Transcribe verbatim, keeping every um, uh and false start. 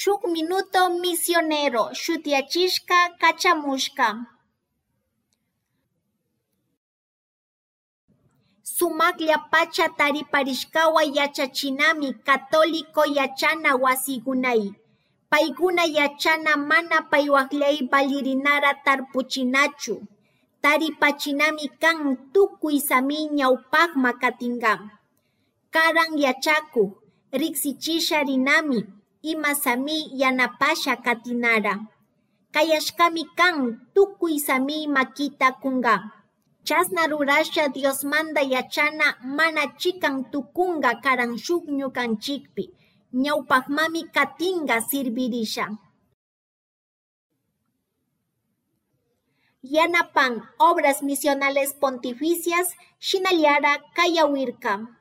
Shuk Minuto Misionero shutiyachishka kachamushka. Sumaklla pacha tariparishkawa yachachinami católico yachana wasigunay, paiguna yachana mana paihuajllai valirinara tarpuchinachu, taripachinami kan tukuy sami ñawpakma katinka. Karan yachakuk riksichisha rinami ima sami yanapasha katinara. Kayashkami kan tukuy sami makita kunka. Chasna rurasha Diosmanta yachana mana chikan tukunka karan shuk ñukanchikpi, ñawpakmami katinka sirvirisha. Yanapan Obras Misionales Pontificias shinallara kayawirka.